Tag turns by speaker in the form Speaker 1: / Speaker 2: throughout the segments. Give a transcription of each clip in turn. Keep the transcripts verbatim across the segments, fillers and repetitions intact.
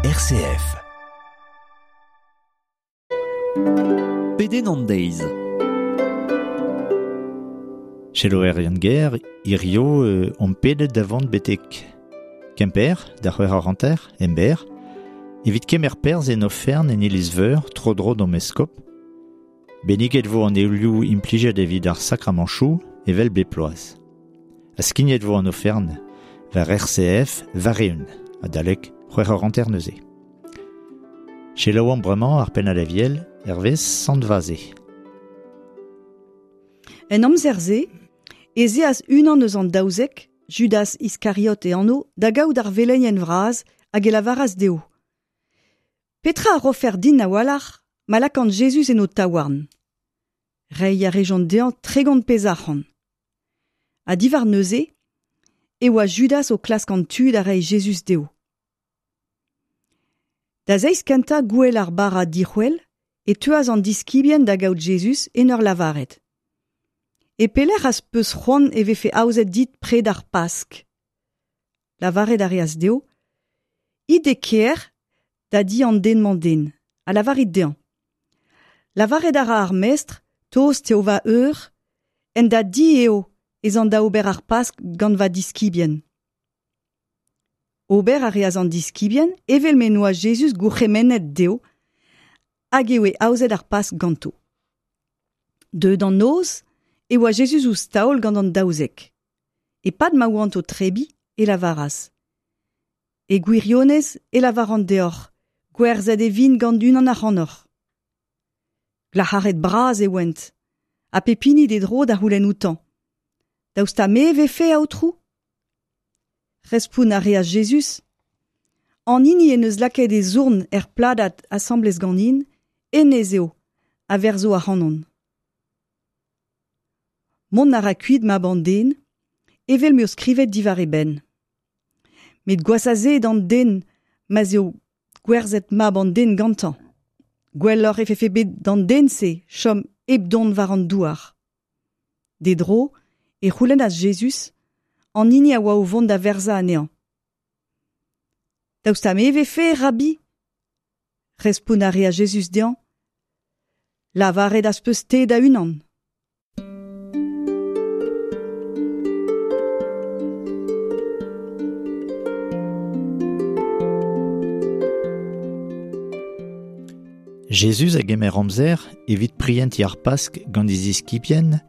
Speaker 1: R C F.
Speaker 2: Pedenn an deiz.
Speaker 3: Selaouer Yann-Ger, hirio euh, on pedet da vont betek Kemper, da c'hwec'h ar hanter, emberr, evit kemer perzh en ofern en iliz-veur, tro-dro d'an eskop. Benniget vo an eoulioù implijet evit ar sakramanchoù evel bep bloaz. Ha skignet vo an ofern war R C F war-eeun, adalek c'hwec'h ar hanter neuze. Selaouomp bremañ ar pennad aviel hervez Sant Vaze.
Speaker 4: En amzer-se, ez eas unan eus an daouzek, Judas Iskariot e anv, da gaout ar velenien vras hag e lavaras dezho. Petra a rofer din a-walc'h ma lakaont Jezuz en ho taouarn. Reiñ a rejont dezhañ tregont pezh arc'hant. Ha diwar neuze, e oa Judas o klask an tu da reiñ Jezuz dezho. Da zeiz kentañ gouel ar bara dic'hwel, e teuas an diskibien da gaout Jezuz en ur lavaret. E pelec'h az peus c'hoant e vefe aozet dit pred ar Pask. Lavaret a reas dezho, it e kêr da di an den-mañ den, ha lavarit dezhañ. Lavaret a ra ar mestr, tost eo va eur, en da di eo ez an da ober ar Pask gant va diskibien. Ober a reas an diskibien, evel m'en doa Jezuz gourc'hemennet dezho, hag e oe aozet ar Pask ganto. Deuet an noz, e oa Jezuz ouzh taol gant an daouzek. E-pad ma oant o tebriñ, e lavaras. E gwirionez e lavaran deoc'h, gwerzhet e vin gant unan ac'hanoc'h. Glac'haret bras e oent, ha pep hini d'e dro da c'houlenn outañ. Daoust ha me e vefe, aotrou ? Respont a reas Jezuz. An hini en deus lakaet e zourn er pladad asambles ganin, hennezh eo, a verzo ac'hanon. Mont a ra kuit mab an den, evel m'eo skrivet diwar e benn. Met gwazh a se d'an den ma'z eo gwerzhet mab an den gantañ. Gwelloc'h e vefe bet d'an den-se chom hep dont war an douar. D'e dro e c'houlennas Jezuz, an hini a oa o vont da verzañ anezhañ. Daoust ha me e vefe, Rabbi ? Respont a reas Jezuz dezhañ. Lavaret az peus te da-unan.
Speaker 3: Jezuz a gemer amzer evit prientiñ ar Pask gant e ziskibien,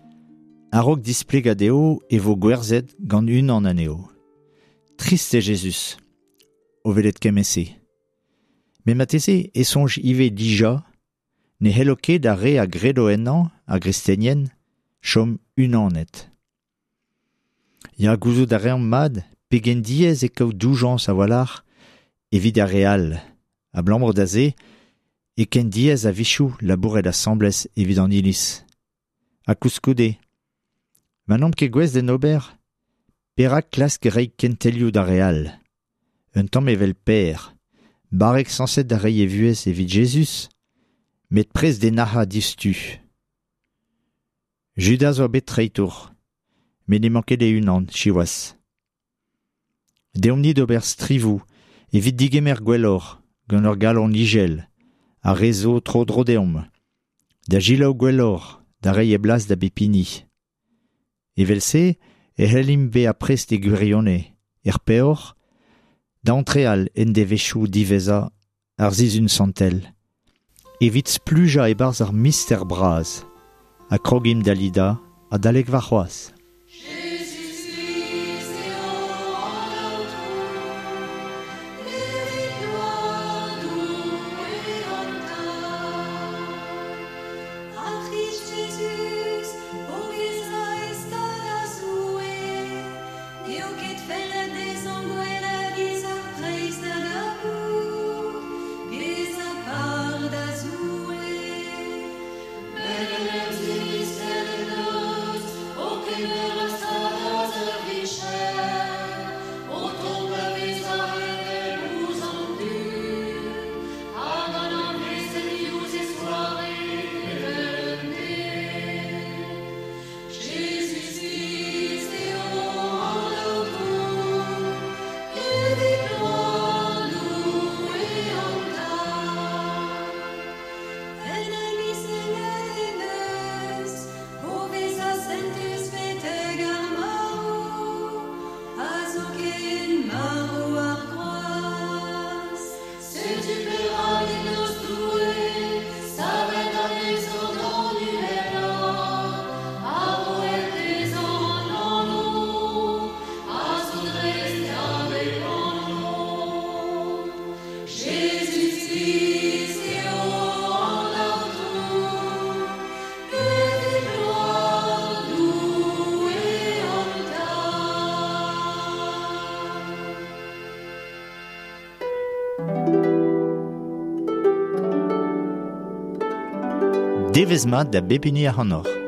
Speaker 3: a-raok displegañ dezho e vo gwerzhet gant unan anezho. Trist eo Jezuz, o welet kement-se. Met marteze e soñj ivez dija, ne c'hello ket ar re a gredo ennañ, ar gristenien, chom unanet. Ya gouzout a reomp mat, pegen diaes eo kaout doujañs a-walc'h evit ar re all. Abalamour da se, e ken diaes a-wechoù labouret asambles evit an iliz. Ha koulskoude, ma n'omp ket gouest d'en ober, perak klask reiñ kentelioù d'ar re all. Un tamm evel Per, barrek sañset da reiñ e vuhez evit Jezuz, met prest d'e nac'hañ diouzhtu. Judas oa bet treitour, met n'emañ ket e-unan, siwazh. Deomp-ni d'ober strivoù evit digemer gwelloc'h gant ur galon ijel, ar re zo tro-dro deomp, da selaou gwelloc'h, da reiñ e blas da bep hini. Evel-se e c'hellimp bezañ prest e gwirionez, er peoc'h, da antreal en devezhioù diwezhañ ar sizhun santel, evit splujañ e-barzh ar mister bras, ha krogimp da lidañ adalek warc'hoazh.
Speaker 5: Amen.
Speaker 3: Devezh mat da bep hini ac'hanoc'h.